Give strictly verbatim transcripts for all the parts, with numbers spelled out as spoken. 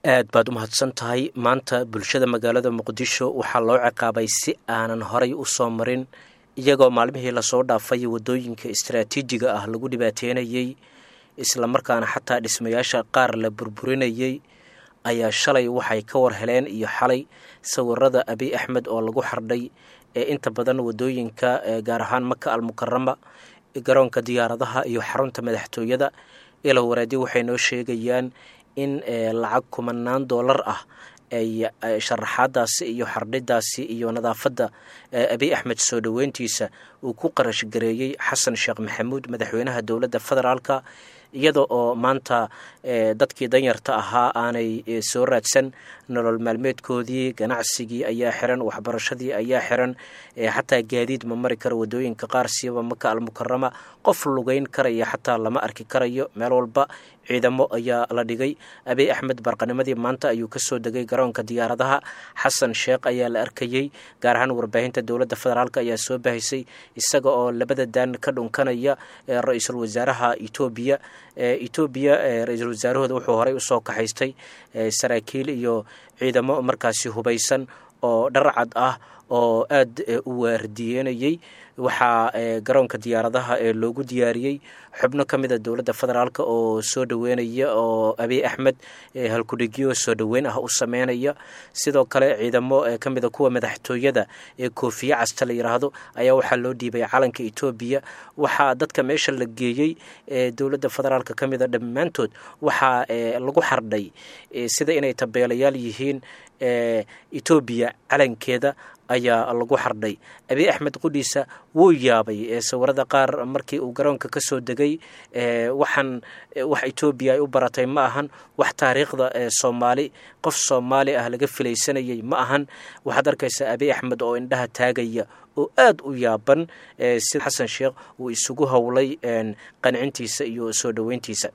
Aad baad u mahadsan tahay. Maanta bulshada magaalada Muqdisho waxaa loo ciqaabay si aanan horay u soo marin, iyagoo maalmihii lasoo dhaafay waddooyinka istaraatiijiga ah lagu dhibaateynayey, islamarkaana xataa dhismayaasha qaar la burburinayey, ayaa shalay waxay ka war heleen iyo xalay sawirada Abiy Axmed oo lagu xardhay ee inta badan waddooyinka, gaar ahaan Maka Almukarama, garoonka diyaaradaha iyo xarunta madaxtooyada. Ilo wareedi waxay noo sheegayaan in lacag kumanaan doolar ah ay sharaxaadaasi iyo xardhidaasi iyo nadaafadda Abiy Axmed soo dhoweyntiisa uu ku qarash gareeyey Xasan Sheekh Maxamuud, madaxweynaha dowladda federaalka, iyada oo maanta dadkii danyarta ahaa aanay soo raadsan nolol maalmeedkoodii. Ganacsigii ayaa xiran, waxbarashadii ayaa xiran, xataa gaadiid ma mari karo waddooyinka qaar, siiba Maka Almukarama. Qof lugeyn karaya xataa lama arki karayo, meel walba ciidamo ayaa la dhigay. Abiy Axmed barqanimadii maanta ayuu kasoo degay garoonka diyaaradaha. Xasan Sheekh ayaa la arkayey, gaar ahaan warbaahinta dowladda federaalk ayaa soo bahisay isaga oo labada daan ka dhunkanaya ra-iisul wasaaraha Etoobiya. Etoobiya ra-iisul wasaarahooda wuxuu horey usoo kaxaystay saraakiil iyo ciidamo markaasi hubaysan oo dharcad ah oo aad u waardiyenayey. Waxaa garoonka diyaaradaha ee loogu diyaariyey xubno ka mida dowladda federaalk oo soo dhoweynaya oo Abiy Axmed halkudhigyo soo dhoweyn ah u sameynaya. Sidoo kale ciidamo ka mida kuwa madaxtooyada ee koofiye casta la yiraahdo ayaa waxaa loo dhiibay calanka Etoobiya. Waxaa dadka meesha la geeyey ee dowladda federaalk ka mida dhammaantood waxaa lagu xardhay sida inay tabeelayaal yihiin, Etoobiya calankeeda ayaa lagu xardhay. Abiy Axmed qudhiisa wuu yaabay sawirada qaar markii uu garoonka ka soo degay. Waxaan wax Etoobiya ay u baratay ma ahan, wax taariikhda Soomaali qof Soomaali ah laga filaysanayay ma ahan. Waxaad arkaysaa Abiy Axmed oo indhaha taagaya oo aad u yaaban si Xasan Sheekh uu isugu howlay qancintiisa iyo soo dhoweyntiisa.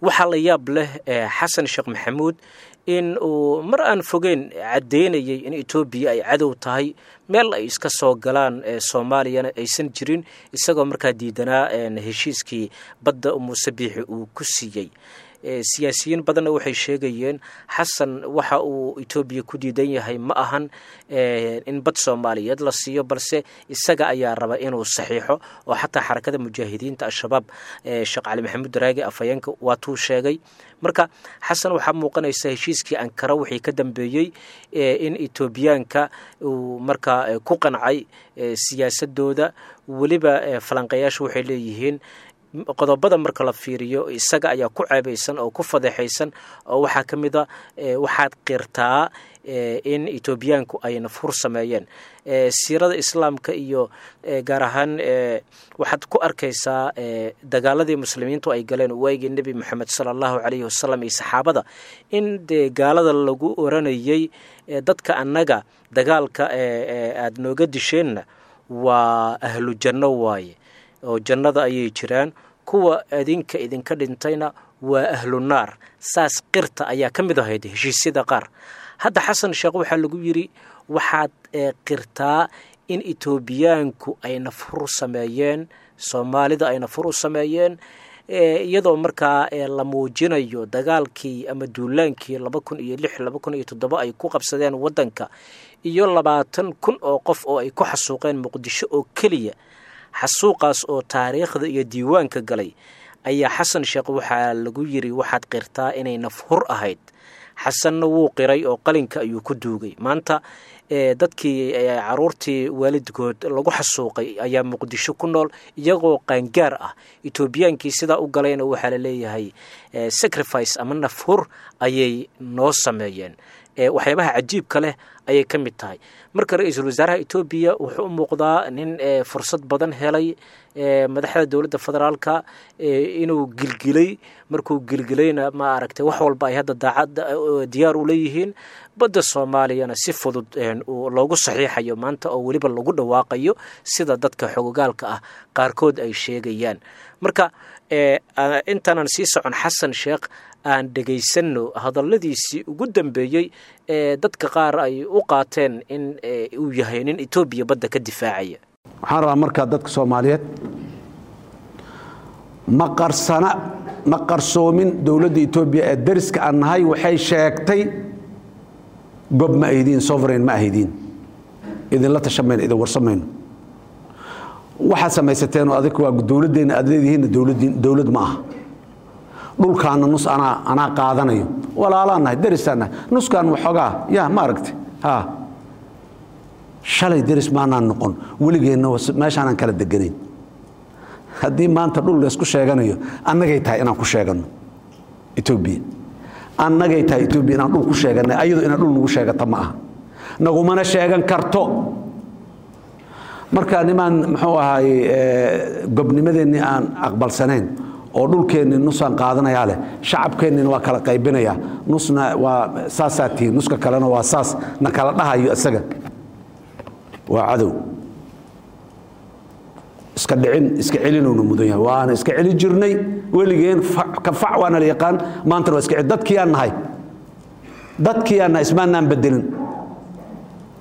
Waxaa la yaab leh Xasan Sheekh Maxamuud in uu mar aan fogeyn caddeynayay in Etoobiya ay cadow tahay, meel ay iska soo galaan Soomaaliyana aysan jirin, isagoo markaa diidanaa heshiiskii badda Muuse Biixi uu ku siiyey. Siyaasiyiin badanna waxay sheegayeen Xasan waxa uu Etoobiya ku diidan yahay ma ahan in bad Soomaaliyeed la siiyo, balse isaga ayaa raba inuu saxiixo, oo xataa Xarakada Mujaahidiinta Al-Shabaab Sheekh Cali Maxamuud Daraagi afhayeenka waatuu sheegay. Marka Xasan waxaa muuqanaysa heshiiskii Ankara wixii ka dambeeyey in Etoobiyaanka uu markaa ku qancay siyaasadooda. Weliba falanqayaashu waxay leeyihiin qodobada marka la fiiriyo isaga ayaa ku ceebaysan oo ku fadeexaysan, oo waxaa ka mid a waxaad qirtaa in Etoobiyaanku ay nafhur sameeyeen. Siirada islaamka iyo gaar ahaan waxaad ku arkaysaa dagaaladii muslimiintu ay galeen waagii Nebi Moxamed sala Allahu calayhi wasalam iyo saxaabada, in dee gaalada lagu oranayey dadka annaga dagaalka aada nooga disheenna waa ahlu janno waaye oo jannada ayay jiraan, kuwa adinka idinka dhintayna waa ahlu naar, saas qirta ayaa ka mid ahayd heshiisyada qaar. Hadda Xasan Sheekh waxaa lagu yidhi waxaad qirtaa in Etoobiyaanku ay nafhur sameeyeen, Soomaalida ay nafhur u sameeyeen, iyadoo markaa la muujinayo dagaalkii ama duulaankii laba kun iyo lix laba kun iyo toddoba ay ku qabsadeen waddanka iyo labaatan kun oo qof oo ay ku xasuuqeen Muqdisho oo keliya, xasuuqaas oo taariikhda iyo diiwaanka galay. Ayaa Xasan Sheekh waxaa lagu yiri waxaad qirtaa inay nafhur ahayd. Xasanna wuu qiray oo qalinka ayuu ku duugay. Maanta dadkii caruurtii waalidkood lagu xasuuqay ayaa Muqdisho ku nool iyagoo qaangaar ah. Etoobiyaankii sidaa u galayna waxaa la leeyahay sacrifice ama nafhur ayay noo sameeyeen. Waxyaabaha cajiibka leh ayay ka mid tahay. Marka ra-iisul wasaaraha Etoobiya wuxuu u muuqdaa nin fursad badan helay, madaxda dowladda federaalka inuu gilgilay. Markuu gilgilayna ma aragtay wax walba ay hadda daacad diyaar u leeyihiin, badda Soomaaliyana si fudud loogu saxiixayo maanta oo weliba lagu dhawaaqayo, sida dadka xogogaalka ah qaarkood ay sheegayaan. Marka intaanan sii socon Xasan Sheekh aan dhegaysanno hadalladiisii ugu dambeeyey ee dadka qaar ay u qaateen in uu yahay nin Etoobiya badda ka difaacaya. Waxaan rabaa markaa dadka Soomaaliyeed Ma qarsana, ma qarsoomin. Dowladda Etoobiya ee dariska aan nahay waxay sheegtay gob ma ahidiin, sovereign ma ahidiin, idinla tashamayno, idin warsamayno. Waxaad samaysateen oo adig waa dowladdeenna aad leedihiinna, dowladdiin dowlad ma aha. Dhulkaana nus anaa anaa qaadanayo, walaalaan nahay, derisaan nahay, nuskaan waxoogaa yaa ma aragtay. Ha shalay deris maanaan noqon, weligeenna meeshaanaan kala deganayn. Haddii maanta dhul laysku sheeganayo, annagay tahay inaan ku sheeganno Etoobiya, annagay tahay Etoobiya inaan dhul ku sheeganay. Ayadu inaan dhul nagu sheegata ma aha, nagumana sheegan karto. Marka nimaan muxuu ahaay gobnimadeennii aan aqbalsanayn oo dhulkeennii nusaan qaadanayaa leh, shacabkeennina waa kala qaybinayaa, nusna waa saasaa tihiin, nuska kalena waa saas na kala dhahayo, isaga waa cadow. Iska dhicin, iska celinowna mudan yahay, waana iska celin jirnay weligeen, ka fac waana la yaqaan, maantana waa iska celin. Dadkii aan nahay, dadkii aan nahay, ismaanaan bedelin,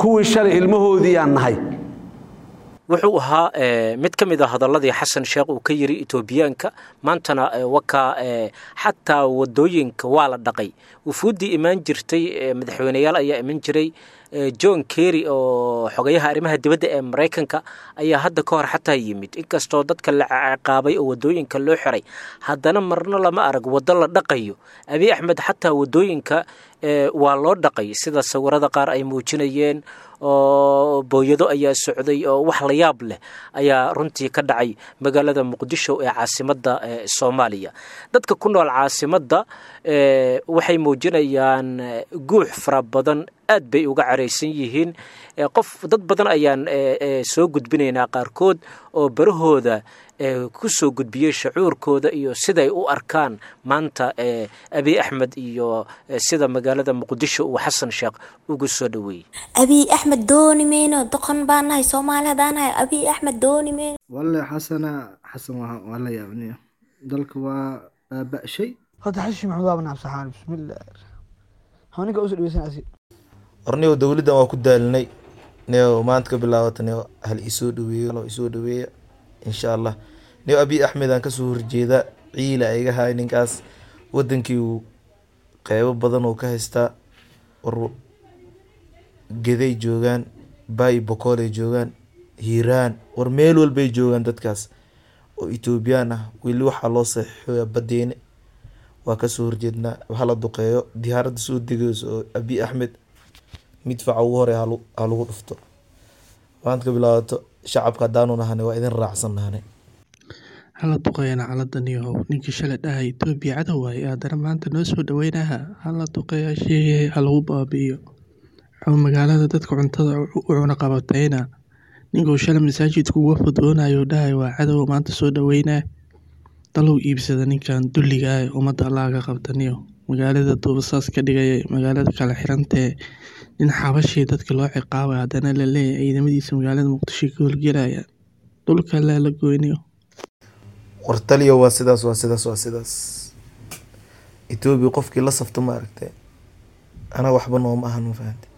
kuwii shalay ilmahoodii aan nahay. Wuxuu ahaa mid ka mid a hadaladii Xasan Sheekh uu ka yiri Etoobiyaanka. Maantana wakaa xataa wadooyinka waa la dhaqay. Wufuuddii imaan jirtay, madaxweyneyaal ayaa iman jiray. John Kerry oo xogayaha arrimaha dibadda ee Maraykanka ayaa hadda ka hor xataa yimid. Inkastoo dadka la ciqaabay oo wadooyinka loo xiray, haddana marna lama arag waddo la dhaqayo. Abiy Axmed xataa wadooyinka waa loo dhaqay, sida sawirada qaar ay muujinayeen, oo booyado ayaa socday, oo wax la yaab leh ayaa runtii ka dhacay magaalada Muqdisho ee caasimadda Soomaaliya. Dadka ku nool caasimadda waxay muujinayaan guux fara badan, aad bay uga caraysan yihiin. Qof dad badan ayaan soo gudbinaynaa, qaarkood oo barahooda ku soo gudbiyey shucuurkooda iyo siday u arkaan maanta Abiy Axmed iyo sida magaalada Muqdisho uu Xasan Sheekh ugu soo dhoweeyey. Abiy Axmed dooni mayno, doqon baan nahay Soomaali haddaan nahay, Abiy Axmed dooni mayno. Walle Xasana Xasan waa waa la yaabniya, dalka waa baaba'shay. Horta Xashi Maxamed waa nabsaxaan, bismillah, ninka usoo dhaweysan asi. Warniyow, dowladdan waa ku daalinay niyow. Maanta ka bilaabata niyow, hal isoo dhaweeyo, loo isoo dhaweeya insha Allah. Niyow, Abiy Axmed aan kasoo horjeeda, ciila iga haay ninkaas. Wadankii uu qeybo badan oo ka haystaa, war Geday joogaan, Baay, Bokoolay joogaan, Hiiraan, war meel walbay joogaan dadkaas oo Etoobiyaan ah. Weli waxaa loo saxiixoyaa badeene. Waa kasoo horjeednaa, hala duqeeyo diyaaradda soo degeyso oo Abiy Axmed midfaca ugu hore ha lagu dhufto. Maanta ka bilaabato shacabka haddaanu nahanay waa idin raacsan nahanay. Hala duqeeyana caladan yahow. Ninkii shalay dhahay Itoobiya cadow waaye, haddana maanta noo soo dhaweynaha. Hala duqeeya, sheegay ha lagu baabi'iyo oo magaalada dadka cuntada u cuna qabatayna. Ninkuu shalay masaajidka uga fudoonayo dhahay waa cadow, maanta soo dhaweynaa. Dalow iibsada ninkan dulliga ah, ummadda Allah ka qabtaniyo. Magaalada duubasaas ka dhigaya, magaalada kala xirantee, nin xabashii dadka loo ciqaabay, haddana la leeyahay ciidamadiisa magaalada Muqdisho ka howlgelaya. Dhulka laa la goynayo. War taliyo, waa sidaas, waa sidaas, waa sidaas. Etoobiya qofkii la safto ma aragtay, anaga waxba nooma ahan, ma fahante?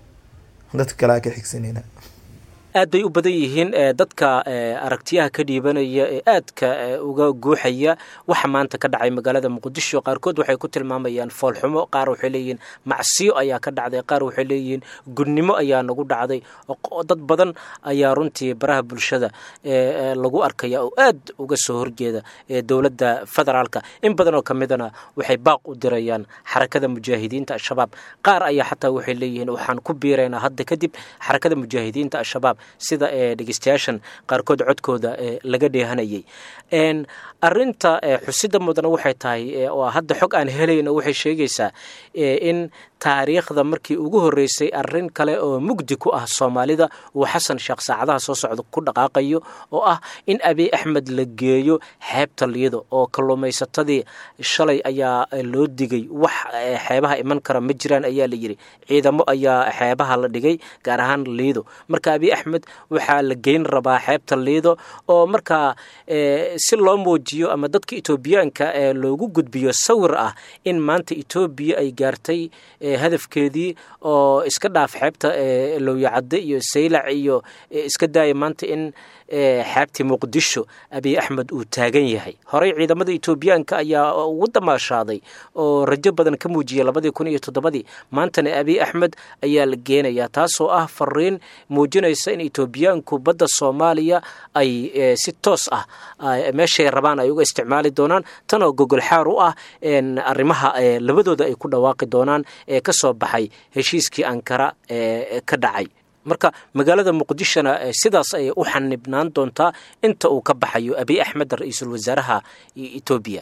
Dadka kale aa ka xigsanayna. Aad bay u badan yihiin dadka aragtiyaha ka dhiibanaya ee aadka uga guuxaya waxa maanta ka dhacay magaalada Muqdisho. Qaarkood waxay ku tilmaamayaan foolxumo, qaar waxay leeyihiin macsiyo ayaa ka dhacday, qaar waxay leeyihiin gudnimo ayaa nagu dhacday. Dad badan ayaa runtii baraha bulshada lagu arkaya oo aad uga soo horjeeda dowladda federaalka. In badan oo ka midana waxay baaq u dirayaan Xarakada Mujaahidiinta Al-Shabaab. Qaar ayaa xataa waxay leeyihiin waxaan ku biiraynaa hadda kadib Xarakada Mujaahidiinta Al-Shabaab, sida dhegeystayaashan qaarkood codkooda laga dheehanayay. Arinta xusida mudana waxay tahay oo hadda xog aan helayno waxay sheegaysaa in taariikhda markii ugu horreysay arrin kale oo mugdi ku ah Soomaalida uu Xasan Sheekh saacadaha soo socda ku dhaqaaqayo, oo ah in Abiy Axmed la geeyo xeebta Liido. Oo kalluumaysatadii shalay ayaa loo digay, wax xeebaha iman kara ma jiraan ayaa la yidhi. Ciidamo ayaa xeebaha la dhigay, gaar ahaan Liido. Marka Abiy Axmed Axmed waxaa la geyn rabaa xeebta Liido, oo markaa si loo muujiyo ama dadka Etoobiyaanka ee loogu gudbiyo sawir ah in maanta Etoobiya ay gaartay hadafkeedii, oo iska dhaaf xeebta Lowyacadde iyo Saylac iyo iska daaya maanta in xeebtii Muqdisho Abiy Axmed uu taagan yahay. Horey ciidamada Etoobiyaanka ayaa ugu damaashaaday oo rajo badan ka muujiyay labadii kun iyo toddobadii, maantana Abiy Axmed ayaa la geenayaa, taasoo ah fariin muujinaysa in Etoobiyaanku badda Soomaaliya ay si toos ah meeshay rabaan ay uga isticmaali doonaan, tan oo gogol xaar u ah arrimaha labadooda ay ku dhawaaqi doonaan ee ka soo baxay heshiiskii Ankara ee ka dhacay. Marka magaalada Muqdishona sidaas ayay u xanibnaan doontaa inta uu ka baxayo Abiy Axmed, ra-iisul wasaaraha Etoobiya.